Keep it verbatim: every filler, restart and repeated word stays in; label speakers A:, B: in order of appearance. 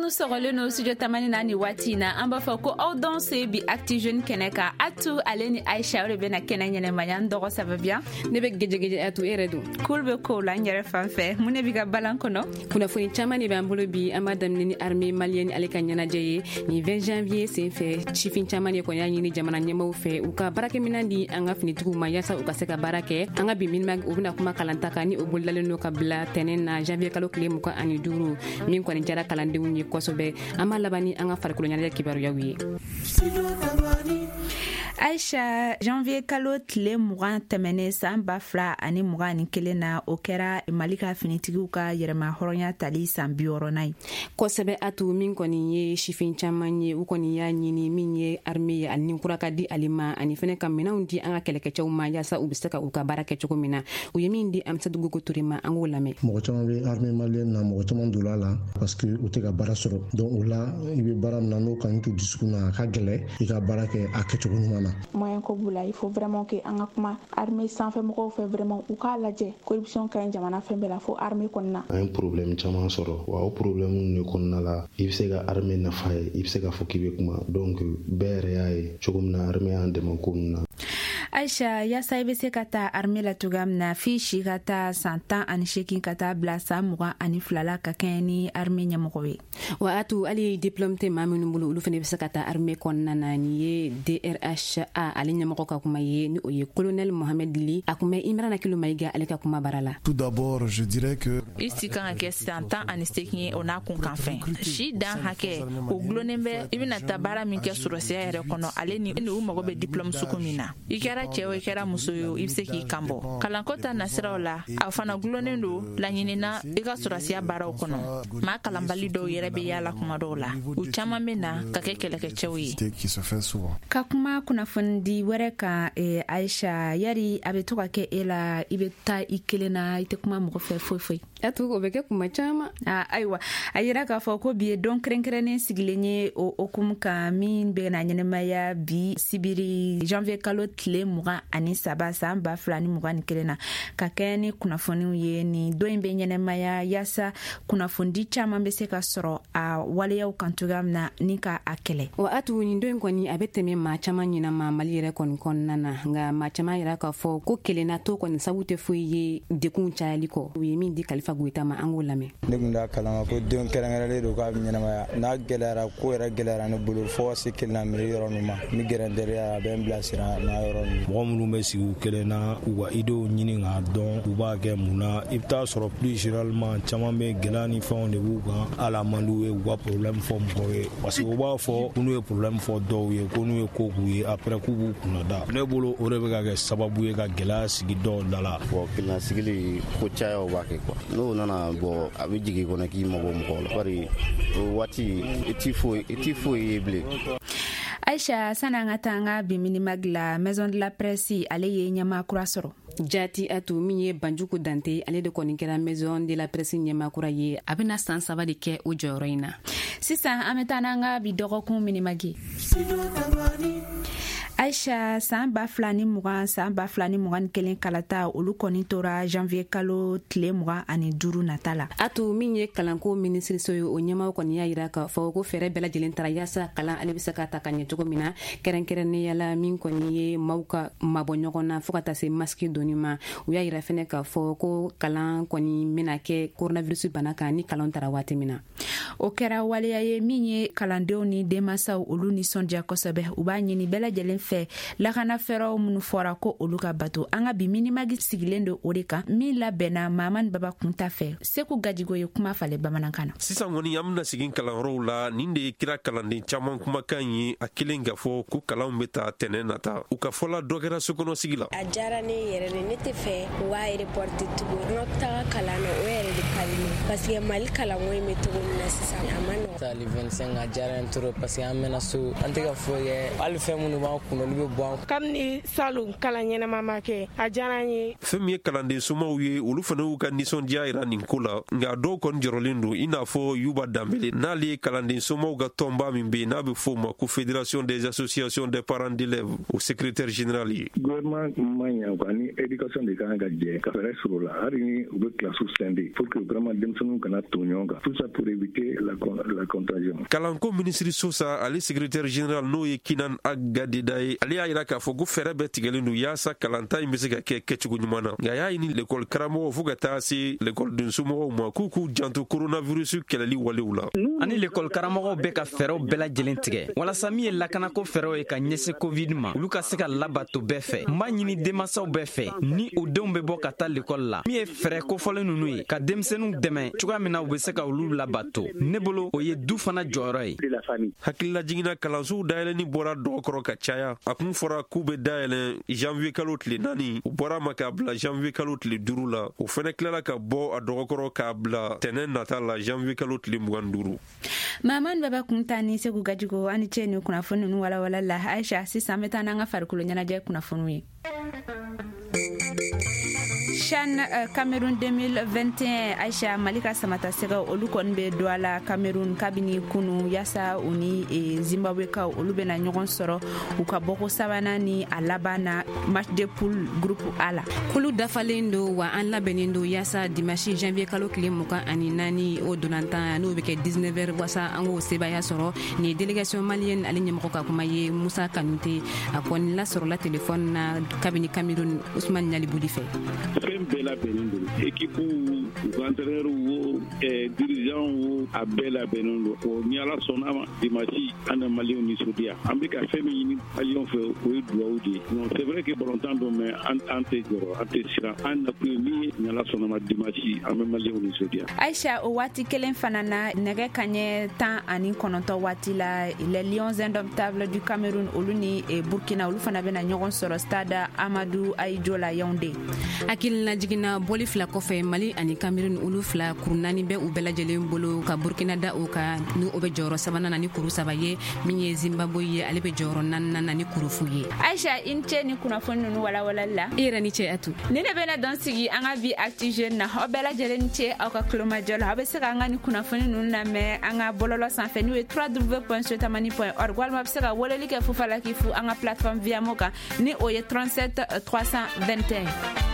A: Minnu sɔgɔlen no studio Tamani na ni waati in na, an b'a fɔ ko aw dɔn se bi Actu Jeune kɛnɛ kan. Atu ale ni Aisha, o de bɛna kɛnɛ ɲɛnɛmaya. N dɔgɔ sababuya.
B: Ne bɛ gɛjɛgɛjɛ. Atu, e yɛrɛ dun?
A: Kul bɛ kow la n yɛrɛ fan fɛ. Mun de b'i ka balan kɔnɔ?
B: Kunnafoni caman de b'an bolo bi. An b'a daminɛ ni armée malienne ale ka ɲɛnajɛ ye nin vingt janvier sen fɛ. Sifin caman de kɔni y'a ɲini jamana ɲɛmaw fɛ, u ka baarakɛminɛn di an ka finitigiw ma, yaasa u ka se ka baara kɛ. An ka bi Minimag, u bɛna kuma kalanta kan, ni o bolodalen don ka bila tɛnɛn na, janvier kalo tile mugan ani duuru, min kɔni jara kalandenw ye kosɛbɛ. An b'a laban ni an ka farikolo ɲɛnajɛ kibaruyaw ye.
A: Aisha, janvier kalo tile mugan tɛmɛnen san ba fila ani mugan ani kelen na, o kɛra Mali ka finitigiw ka yɛrɛma hɔrɔnya tali san bi wɔɔrɔnan ye.
B: Kosɛbɛ Atu. Min kɔni ye sifin caman ye, u kɔni y'a ɲini min ye armée ye, ani kura ka di ale ma, ani fɛnɛ ka minɛnw di an ka kɛlɛkɛcɛw ma, yaasa u be se ka u ka baara kɛ cogo min na. U ye min di Amisatu Gogo Ture ma, an k'o lamɛn.
C: Mɔgɔ caman bɛ armée malienne na, mɔgɔ caman donna a la parce que u tɛ ka baara sɔrɔ. Donc o la, i bɛ baara min na, n'o kanu t'u dusukun na, a ka gɛlɛ i ka baara kɛ a kɛcogo ɲuman na.
D: Moyen ko b'u la. Il faut vraiment que an ka kuma armée sanfɛ mɔgɔw fɛ, vraiment u k'a lajɛ. Corruption ka ɲi jamana fɛn bɛɛ la, fo armée kɔnɔna.
E: An ye problème caman sɔrɔ wa. O problème de kɔnɔna la, i bɛ se ka armée nafa ye, i bɛ se k'a fɔ k'i bɛ kuma. Donc bɛɛ yɛrɛ y'a ye cogo min na armée y'an dɛmɛ ko min na.
A: Aisha, yaasa i bɛ se ka taa armée la cogoya min na, f'i si ka taa san tan ani seegin ka taa bila san mugan ani fila la, ka kɛɲɛ ni armée ɲɛmɔgɔ ye.
B: Wa Atu, hali diplôme tɛ maa minnu bolo, olu fana bɛ se ka taa armée kɔnɔna na. Nin ye D R H A ale ɲɛmɔgɔ ka kuma ye, ni o ye colonel Mohamed Li. A kun bɛ Imrana Kilo Mayiga ale ka kuma bara la.
F: Tout d'abord, je dirais que
G: I si kan ka kɛ san tan ani seegin ye, o n'a kun kan fɛn si dan hakɛ, o gulonnen bɛ i bɛna taa baara min kɛ sɔrɔsiya yɛrɛ kɔnɔ, ale ni u mago bɛ diplôme sugu min na. I kɛra cɛɛ o, i kɛra muso ye o, i be se k'i kan bɔ kalanko ta nasiraw la. A fana gulonnen don laɲinina i ka sɔrɔsiya baaraw kɔnɔ. Maa kalanbali dɔw yɛrɛ be yaala kuma dɔw la, u caaman be na ka kɛ kɛlɛkɛcɛw ye.
F: qui se fait souvent.
A: Ka kuma kunnafonidi wɛrɛ kan, eh, Aisha, yari a bɛ to ka kɛ e la, i bɛ taa i kelen na, i tɛ kuma mɔgɔ fɛ foyi foyi?
B: Atu, o bɛ kɛ kuma caman.
A: Ah, ayiwa, a yira k'a fɔ ko bi ye don kɛrɛnkɛrɛnnen sigilen ye o hokumu kan, min bɛna ɲɛnɛmaya bi sibiri janvier kalo tile mugan ani saba san ba fila ni mugan ni kelen na, ka kɛɲɛ ni kunnafoniw ye. Nin don in bɛ ɲɛnɛmaya yaasa kunnafonidi caman bɛ se ka sɔrɔ a waleyaw kan cogoya min na, ni ka a kɛlɛ.
B: Wa Atu, nin don in kɔni, a bɛ tɛmɛ maa caman ɲinama Mali yɛrɛ kɔni kɔnɔna na. Nka maa caman yɛrɛ k'a fɔ ko kelenna to kɔni sabu tɛ foyi ye dekun cayali kɔ. U ye min di Kalifa Goyita ma, an k'o lamɛn.
H: Ne kun t'a kalama ko don kɛrɛnkɛrɛnlen don k'a bɛ ɲɛnamaya. N'a gɛlɛyara, ko yɛrɛ gɛlɛyara ne bolo fo ka se kelenna miiri yɔrɔ ninnu ma, n bɛ gɛrɛ n teriya, a bɛ n bilasira n'a yɔrɔ ninnu.
I: Mɔgɔ minnu bɛ sigi u kelen na k'u ka idéew ɲini k'a dɔn u b'a kɛ mun na, i bɛ taa sɔrɔ plus généralement caman bɛ gɛlɛya ni fɛnw de b'u kan. Hali a man d'u ye u ka problème fɔ mɔgɔw ye, parce que u b'a fɔ ko n'u ye problème fɔ dɔw ye, ko n'u ye ko k'u ye, après k'u b'u kunna da. Ne bolo, o de bɛ ka kɛ sababu ye ka gɛlɛya sigi dɔw da la.
J: Bon, kelenna sigili, ko cayaw b'a kɛ quoi. N'o nana bɔ, a bɛ jigin i kɔnɔ k'i mabɔ mɔgɔw la, bari o waati i ti foyi i ti foyi ye bilen.
A: Aisha, sani an ka taa an ka bi Minimag la, Maison de la Presse ale ye ɲɛmaa kura sɔrɔ.
B: Jati Atu, min ye Banjugu Dante, ale de kɔni kɛra Maison de la Presse ɲɛmaa kura ye. A bɛna san saba de kɛ o jɔyɔrɔ in na.
A: Sisan an bɛ taa n'an ka bi dɔgɔkun Minimag ye. Aisha, san ba fila ni mugan san ba fila ni mugan ni kelen kalata, olu kɔni tora janvier kalo tile mugan ani duuru nata la.
B: Atu, min ye kalanko minisiriso ye, o ɲɛmaw kɔni y'a yira k'a fɔ ko fɛɛrɛ bɛɛ lajɛlen tara yaasa kalan ale bɛ se ka ta ka ɲɛ cogo min na, kɛrɛnkɛrɛnnenya la min kɔni ye maaw ka mabɔ ɲɔgɔn na, fɔɔ ka taa se masque donni ma. U y'a yira fɛnɛ k'a fɔ ko kalan kɔni bɛna kɛ coronavirus bana kan ni kalan tara waati min na.
A: O kɛra waleya ye min ye kalandenw ni denmasaw olu nisɔndiya kosɛbɛ. U b'a ɲini bɛɛ lajɛlen fɛ, lakana fɛɛrɛw minnu fɔra, ko olu ka bato. An ka bi Minimag sigilen don o de kan, min labɛnna Mamani Baba Kunta fɛ. Seku Gajigo ye kuma falen bamanankan na.
K: Sisan kɔni, an bena sigin kalanyɔrɔw la. Nin de ye kira kalanden caaman kumakan ye, a kelen k'a fɔ ko kalanw be ta tɛnɛ nata. U ka fɔla dɔ kɛra sokɔnɔ sigi la.
L: A diyara ne yɛrɛ de. Ne tɛ fɛ u b'a reporter tugun. An ka taga kalan na, o yɛrɛ de ka di ne, parce que Mali kalanko in bɛ cogo min na sisan, a ma nɔgɔn.
M: Tali vingt-cinq, a diyara n trop, parce que an mɛna so, an tɛ ka foyi kɛ. Hali fɛn minnu b'an kun.
H: kunnali bɛ bɔ an.
M: Kabini salon kalan ɲɛnama ma kɛ, a diyara an ye.
K: Fɛn min ye kalanden somaw ye, olu fana y'u ka nisɔndiya yira nin ko la, nka dɔw kɔni jɔrɔlen don, i n'a fɔ Yuba Danbele, n'ale ye kalanden somaw ka tɔnba min bɛ yen n'a bɛ f'o ma ko Fédération des associations des parents d'élèves, o secrétaire général ye.
N: Gouvernement man ɲa quoi, ni éducation de kan ka jɛ ka fɛɛrɛ sɔrɔ o la, hali ni u bɛ kilasiw scinder pour que vraiment denmisɛnninw kana ton ɲɔgɔn kan, tout ça pour éviter la, la contagion.
K: Kalanko minisiri Sosa, ale secrétaire général n'o ye Kinan Agadeda ye, ale y'a yira k'a fɔ ko fɛɛrɛ bɛɛ tigɛlen don yaasa kalanta in bɛ se ka kɛ kɛcogo ɲuman na, nka a y'a ɲini lekɔli karamɔgɔw fo ka taa se lekɔliden somɔgɔw ma k'u k'u janto coronavirus kɛlɛli walew la.
O: Ani lekɔli karamɔgɔw bɛ ka fɛɛrɛw bɛɛ lajɛlen tigɛ walasa min ye lakanako fɛɛrɛw ye ka ɲɛsin covid ma, olu ka se ka labato bɛɛ fɛ. N b'a ɲini denmansaw bɛɛ fɛ ni u denw bɛ bɔ ka taa lekɔli la, min ye fɛɛrɛ kofɔlen ninnu ye ka denmisɛnninw dɛmɛ cogoya min na u bɛ se ka olu labato, ne bolo o ye du fana jɔyɔrɔ ye.
K: Hakilila jiginna, kalansow dayɛlɛnni bɔra dɔgɔkɔrɔ ka caya. A kun fɔra k'u bɛ dayɛlɛn janvier kalo tile naani, u bɔra ma k'a bila janvier kalo tile duuru la. O fɛnɛ tilala ka bɔ a dɔgɔkɔrɔ k'a bila tɛnɛn nata la, janvier kalo tile mugan duuru.
A: Mamadu Baba Kunta ni Segu Gajigo, ani cɛ ni kunnafoni ninnu walawala la. Aisha, sisan an bɛ taa n'an ka farikolo ɲɛnajɛ kunnafoniw ye. CHAN Cameroun deux mille vingt et un, Aisha, Mali ka samata sɛgɛw, olu kɔni bɛ don a la Cameroun kabini kunu, yaasa u ni Zimbabwe kaw, olu bɛna ɲɔgɔn sɔrɔ u ka bɔko sabanan ni a laban na, match de poule groupe A la.
B: Kulu dafalen don wa, an labɛnnen don yaasa dimanche janvier kalo tile mugan ani naani, o donantan n'o bɛ kɛ dix-neuf heures, wasa an k'o sebaya sɔrɔ. Nin ye délégation malienne ale ɲɛmɔgɔ ka kuma ye, Musa Kanute. A kɔni lasɔrɔla téléphone na kabini Cameroun, Usman Ɲalibuli fɛ.
P: Fɛn bɛɛ labɛnnen don, équipe, u ka entraîneur wo, dirigeant wo, a bɛɛ labɛnnen don. O ni Ala sɔnna ma, dimanche an na maliyɛnw nisɔndiya. An bɛ ka fɛn min ɲini maliyɛnw fɛ, o ye dugawu de ye. Non, c'est vrai que balontan don, mais an an tɛ jɔrɔ, an tɛ siran. An nakun ye min ye, ni Ala sɔnna ma, dimanche an bɛ maliyɛnw nisɔndiya.
A: Aisha, o waati kelen fana na, nɛgɛ kaɲɛ tan ani kɔnɔntɔn waati la, les Lions indomptables du Cameroun, olu ni Burkina, olu fana bɛna ɲɔgɔn sɔrɔ stade Amadou Ahidjo la, Yaoundé.
B: Hakilina jiginna, bɔli fila kɔfɛ, Mali ani Cameroun, olu fila, kuru naani bɛ u bɛɛ lajɛlen bolo, ka Burkina da o kan ni o bɛ jɔyɔrɔ sabanan na ni kuru saba ye. Min ye Zimbabwe ye, ale bɛ jɔyɔrɔ naaninan na ni kuru fu ye.
A: Aisha, i ni ce ni kunnafoni ninnu walawalali la.
B: I yɛrɛ ni ce, Atu.
A: Ni ne bɛna dɔn sigi an ka bi Actu Jeune na. Aw bɛɛ lajɛlen ni ce aw ka kulomajɔ la. Aw bɛ se ka an ka ni kunnafoni ninnu lamɛn an ka bɔlɔlɔ sanfɛ, n'o ye W W W point sotamani point org, walima a bɛ se ka weleli kɛ Fufalaki fu an ka plateforme Viamo kan, ni o ye trente-sept trois cent vingt et un.